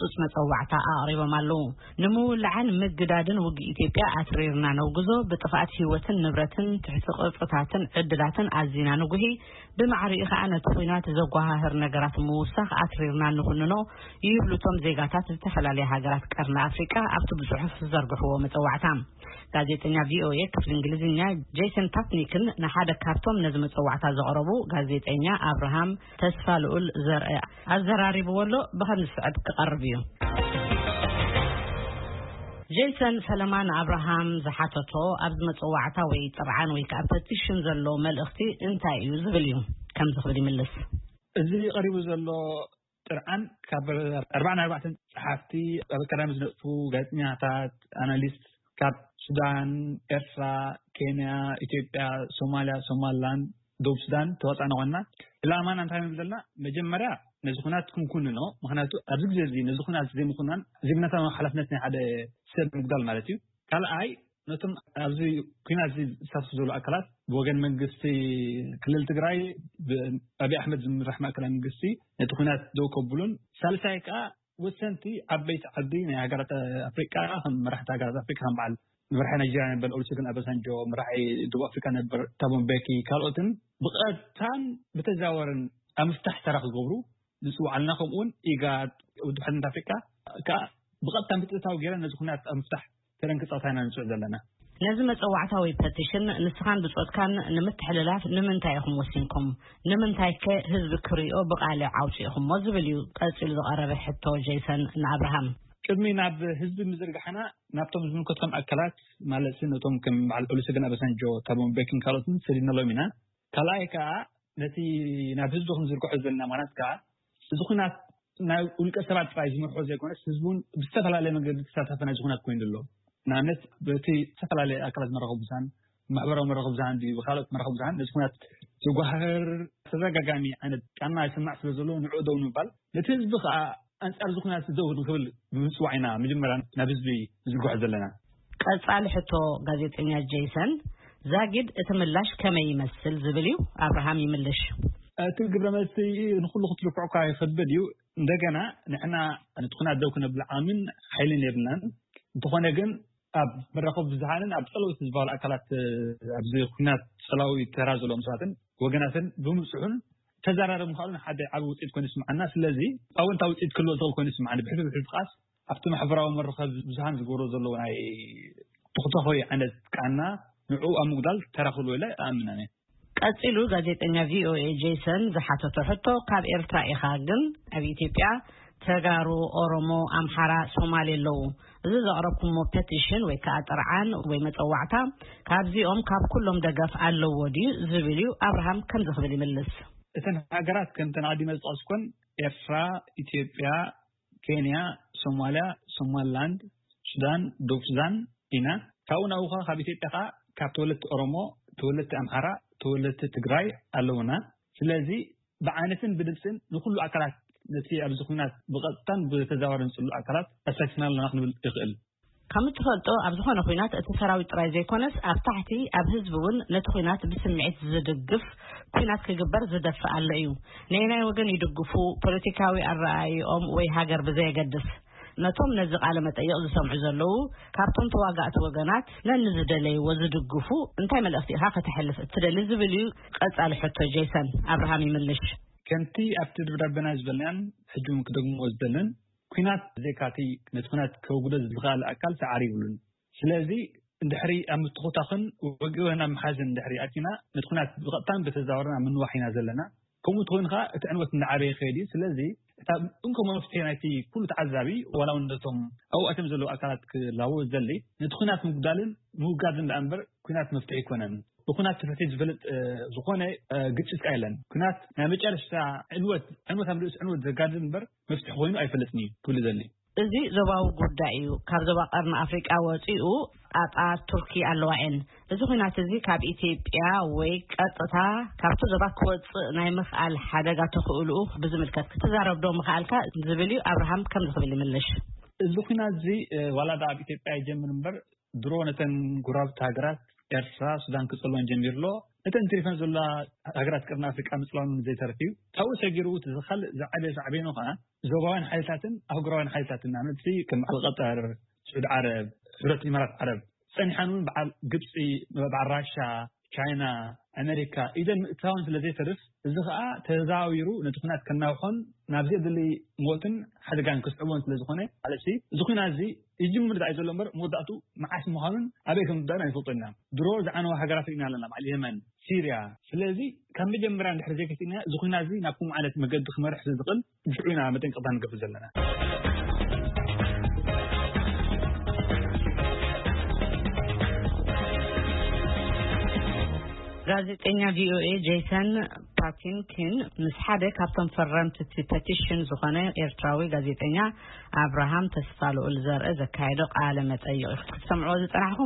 ጡጽ መጸዋዕታ ኣቕሪቦም ኣለዉ። ንምውላዕን ምግዳድን ውግእ ኢትዮጵያ ኣትሪርና ነውግዞ፣ ብጥፍኣት ህይወትን ንብረትን፣ ትሕቲ ቅርጽታትን ዕድላትን ኣዚና ንጉሂ፣ ብማዕሪኡ ከኣ ነቲ ኹናት ዘጓሃህር ነገራት ምውሳኽ ኣትሪርና ንኹንኖ ይብሉ እቶም ዜጋታት ዝተፈላለያ ሃገራት ቀርኒ ኣፍሪቃ ኣብቲ ብጽሑፍ ዝዘርግሕዎ መጸዋዕታ። ጋዜጠኛ ቪኦኤ ክፍሊ እንግሊዝኛ ጄሰን ፓትኒክን ንሓደ ካብቶም ነዚ መጸዋዕታ ዘቕረቡ ጋዜጠኛ ኣብርሃም ተስፋ ልኡል ዘርአ ኣዘራሪብዎ ኣሎ። ብኸም ዝስዕብ ክቐርብ እዩ። ጄሰን ፈለማ ንኣብርሃም ዝሓተቶ ኣብዚ መጸዋዕታ ወይ ጥርዓን ወይ ከዓ ፐቲሽን ዘሎ መልእኽቲ እንታይ እዩ ዝብል እዩ። ከምዚ ክብል ይምልስ። እዚ ቀሪቡ ዘሎ ጥርዓን ካብ ኣርባዕን ኣርባዕተን ጸሓፍቲ፣ ኣብ ኣካዳሚ ዝነጥፉ ጋዜጠኛታት፣ ኣናሊስት ካብ ሱዳን፣ ኤርትራ፣ ኬንያ፣ ኢትዮጵያ፣ ሶማልያ፣ ሶማልላንድ፣ ደቡብ ሱዳን ተዋጻእና ኮይንና። ዕላማና እንታይ ንብል ዘለና? መጀመርያ ነዚ ኩናት ክንኩንኖ፣ ምኽንያቱ ኣብዚ ግዜ እዚ ነዚ ኩናት ዘይምኹናን ዜግነታዊ ሓላፍነት ናይ ሓደ ሰብ ምጉዳል ማለት እዩ። ካልኣይ ነቶም ኣብዚ ኩናት እዚ ዝሳተፉ ዘለዉ ኣካላት ብወገን መንግስቲ ክልል ትግራይ፣ ብኣብይ ኣሕመድ ዝምራሕ ማእከላይ መንግስቲ ነቲ ኩናት ደው ከብሉን፣ ሳልሳይ ከኣ ወሰንቲ ዓበይቲ ዓዲ ናይ ሃገራት ኣፍሪቃ፣ ከም መራሕቲ ሃገራት ኣፍሪቃ፣ ከም በዓል መራሒ ናይጀርያ ነበር ኦሉሰጉን ኣባሳንጆ፣ መራሒ ደቡብ ኣፍሪቃ ነበር ታቦ ምቤኪ፣ ካልኦትን ብቐጥታን ብተዛወርን ኣብ ምፍታሕ ተራ ክገብሩ ንጽውዕ ኣለና። ከምኡውን ኢጋድ፣ ውድብ ሕልነት ኣፍሪቃ ከኣ ብቐጥታ ምትእታው ገይረን ነዚ ኩናት ኣብ ምፍታሕ ተረን ክጻወታ ኢና ንጽውዕ ዘለና። ነዚ መጸዋዕታ ወይ ፐቲሽን ንስኻን ብጾትካን ንምትሕልላፍ ንምንታይ ኢኹም ወሲንኩም? ንምንታይ ከ ህዝቢ ክሪኦ ብቓልዕ ኣውጺእኹሞ? ዝብል እዩ ቀጺሉ ዝቐረበ ሕቶ ጄሰን ንኣብርሃም። ቅድሚ ናብ ህዝቢ ምዝርጋሕና፣ ናብቶም ዝምልከቶም ኣካላት፣ ማለት ነቶም ከም በዓል ኦሉሰጉን ኣባሳንጆ፣ ታቦ ምቤኪን ካልኦትን ሰዲድናሎም ኢና። ካልኣይ ከኣ ነቲ ናብ ህዝቢ ክንዝርግሖ ዘለና፣ ማለት ከኣ እዚ ኩናት ናይ ውልቀ ሰባት ጥራይ ዝመርሖ ዘይኮነስ፣ ህዝቢ እውን ብዝተፈላለየ መንገዲ ተሳታፊ ናይዚ ኩናት ኮይኑ ኣሎ። ንኣብነት በቲ ዝተፈላለየ ኣካላት መራኸቢ ብዙሃን፣ ማሕበራዊ መራኸቢ ብዙሃን ድዩ፣ ብካልኦት መራኸቢ ብዙሃን ነዚ ኩናት ዘጓህር ተደጋጋሚ ዓይነት ቃና ይስማዕ ስለ ዘሎ፣ ንዕኡ ደው ንምባል፣ ነቲ ህዝቢ ከኣ ኣንጻር እዚ ኩናት ደው ንክብል ብምጽዋዕ ኢና መጀመርያ ናብ ህዝቢ ንዝርግሖ ዘለና። ቀጻሊ ሕቶ ጋዜጠኛ ጄሰን፣ ዛጊድ እቲ ምላሽ ከመይ ይመስል ዝብል እዩ። ኣብርሃም ይምልሽ። እቲ ግብረ መልሲ ንኹሉ ክትልክዖ እኳ ይኸብድ እዩ። እንደገና ንሕና ነቲ ኩናት ደው ክነብል ዓቕምን ሓይልን የብልናን። እንተኾነ ግን ኣብ መራኸቢ ብዙሃንን ኣብ ጸለውቲ ዝበሃሉ ኣካላት፣ ኣብዚ ኩናት ጸላዊ ተራ ዘለዎም ሰባትን ወገናትን ብምብጽሑን ተዘራረብ ምዃኑ ሓደ ዓቢ ውጽኢት ኮይኑ ይስምዓና። ስለዚ ኣወንታዊ ውጽኢት ክህልዎ ዝኽእል ኮይኑ ይስምዓኒ። ብሕልፊ ብሕልፊ ከኣስ ኣብቲ ማሕበራዊ መራኸቢ ብዙሃን ዝገብሮ ዘለዉ ናይ ተኹተኾይ ዓይነት ቃና ንዕኡ ኣብ ምጉዳል ተራ ክህልዎ ኢለ እኣምን ኣነ። ቀጺሉ ጋዜጠኛ ቪኦኤ ጄሰን ዝሓተቶ ሕቶ፣ ካብ ኤርትራ ኢኻ ግን ኣብ ኢትዮጵያ ተጋሩ፣ ኦሮሞ፣ ኣምሓራ፣ ሶማሌ ኣለዉ። እዚ ዘቕረብኩሞ ፐቲሽን ወይ ከኣ ጥርዓን ወይ መጸዋዕታ ካብዚኦም ካብ ኩሎም ደገፍ ኣለዎ ድዩ ዝብል እዩ። ኣብርሃም ከምዚ ክብል ይምልስ። እተን ሃገራት ከምተን ኣቐዲመ ዝጠቐስኩን ኤርትራ፣ ኢትዮጵያ፣ ኬንያ፣ ሶማልያ፣ ሶማልላንድ፣ ሱዳን፣ ደቡብ ሱዳን ኢና። ካብኡ ናብኡ ኸኣ ካብ ኢትዮጵያ ኸኣ ካብ ተወለድቲ ኦሮሞ፣ ተወለድቲ ኣምሓራ፣ ተወለድቲ ትግራይ ኣለዉና። ስለዚ ብዓይነትን ብድምፅን ንኹሉ ኣካላት ነቲ ኣብዚ ኹናት ብቐጥታን ብተዘዋዋርን ዝጽልኡ ኣካላት ኣሳቲፍና ኣለና ክንብል ይኽእል። ከም እትፈልጦ ኣብ ዝኾነ ኹናት እቲ ሰራዊት ጥራይ ዘይኮነስ ኣብ ታሕቲ ኣብ ህዝቢ እውን ነቲ ኹናት ብስምዒት ዝድግፍ ኲናት ክግበር ዝደፍእ ኣሎ እዩ። ነየናይ ወገን ይድግፉ፣ ፖለቲካዊ ኣረኣእይኦም ወይ ሃገር ብዘየገድስ፣ ነቶም ነዚ ቃለ መጠይቕ ዝሰምዑ ዘለዉ ካብቶም ተዋጋእቲ ወገናት ነንዝደለይዎ ዝድግፉ እንታይ መልእኽቲ ኢኻ ከተሕልፍ እትደሊ ዝብል እዩ ቀጻሊ ሕቶ ጄሰን ኣብርሃም ይምልሽ። ከምቲ ኣብቲ ደብዳቤና ዝበልናን ሕጂ እውን ክደግምዎ ዝደልን፣ ኲናት ብዘይካቲ ነቲ ኲናት ከውግዶ ዝኽእል ኣካል ሰዓሪ ይብሉን። ስለዚ እንድሕሪ ኣብ ምትኹታኽን ወግእን ኣብ ምሓዝን እንድሕሪ ኣቲና፣ ነቲ ኲናት ብቐጥታን ብተዘዋወርን ኣብ ምንዋሕ ኢና ዘለና። ከምኡ እንተኾይኑ ኸኣ እቲ ዕንወት እንዳዓበየ ይኸይድ እዩ። ስለዚ እታ እንኮ መፍትሒ ናይቲ ኩሉ ተዓዛቢ፣ ዋላ እውን ነቶም ኣብኡ ኣትዮም ዘለዉ ኣካላት ክላቦ ዝደሊ፣ ነቲ ኲናት ምጉዳልን ምውጋድን ደኣ እምበር ኲናት መፍትሒ ኣይኮነን። ብኲናት ፍትሒ ዝፈልጥ፣ እ፣ ዝኾነ፣ እ፣ ግጭት ከኣ የለን። ኲናት ናይ መጨረሽታ ዕንወት፣ ዕንወት ኣብ ርእሲ ዕንወት ዘጋድድ እምበር መፍትሒ ኮይኑ ኣይፈልጥን እዩ ክብል ይደሊ። እዚ ዞባዊ ጉዳይ እዩ። ካብ ዞባ ቀርኒ ኣፍሪቃ ወጺኡ ጣጣ ቱርኪ ኣለዋ እየን። እዚ ኹናት እዚ ካብ ኢትዮጵያ ወይ ቀጥታ ካብቲ ዞባ ክወጽእ ናይ ምኽኣል ሓደጋ ተኽእልኡ ብዝምልከት ክትዛረብ ዶ ምኽኣልካ ዝብል እዩ። ኣብርሃም ከምዚ ክብል ይምልሽ። እዚ ኹናት እዚ፣ እ፣ ዋላ ደኣ ኣብ ኢትዮጵያ ይጀምር እምበር ድሮ ነተን ጎረባብቲ ሃገራት ኤርትራ፣ ሱዳን ክጸልወን ጀሚሩ ኣሎ። እተን ትሪፈን ዘላ ሃገራት ቀርኒ ኣፍሪቃ ምጽላውን ዘይተርፍ እዩ። ካብኡ ሰጊሩ እቲ ዝኻልእ ዝዓበየ ሳዕቤኑ ከኣ ዞባውያን ሓይልታትን ኣህጉራውያን ሓይልታትን፣ ንኣብነት ከም በዓል ቀጠር፣ ስዑድ ዓረብ፣ ሕብረት ኢማራት ዓረብ፣ ጸኒሓን እውን በዓል ግብጺ፣ በዓል ራሻ፣ ቻይና፣ ኣሜሪካ ኢደን ምእታውን ስለ ዘይተርፍ፣ እዚ ከኣ ተዛዊሩ ነቲ ኩናት ከናውሖን ናብ ዘየድሊ ሞትን ሓደጋን ክስዕቦን ስለ ዝኾነ፣ ማለት እዚ ኩናት እዚ ይጅምር ዳኣ እዩ ዘሎ እምበር፣ መወዳእቱ መዓስ ምዃኑን ኣበይ ከም ዝዳን ኣይንፈልጦን ኢና። ድሮ ዝዓነዋ ሃገራት ርኢና ኣለና፣ በዓል የመን፣ ሲርያ። ስለዚ ካብ መጀመርያ እንድሕር ዘይገቲእና፣ እዚ ኩናት እዚ ናብ ከምኡ ዓይነት መገዲ ክመርሕ ስለ ዝኽእል፣ ብሽዑ ኢና መጠንቀቕታ ንገብር ዘለና። ጋዜጠኛ ቪኦኤ ጄሰን ፓቲንኪን ምስ ሓደ ካብቶም ፈረምቲ እቲ ፐቲሽን ዝኾነ ኤርትራዊ ጋዜጠኛ ኣብርሃም ተስፋ ልኡል ዘርአ ዘካየዶ ቃለ መጠይቕ እዩ ክትሰምዕዎ ዝጸናሕኩም።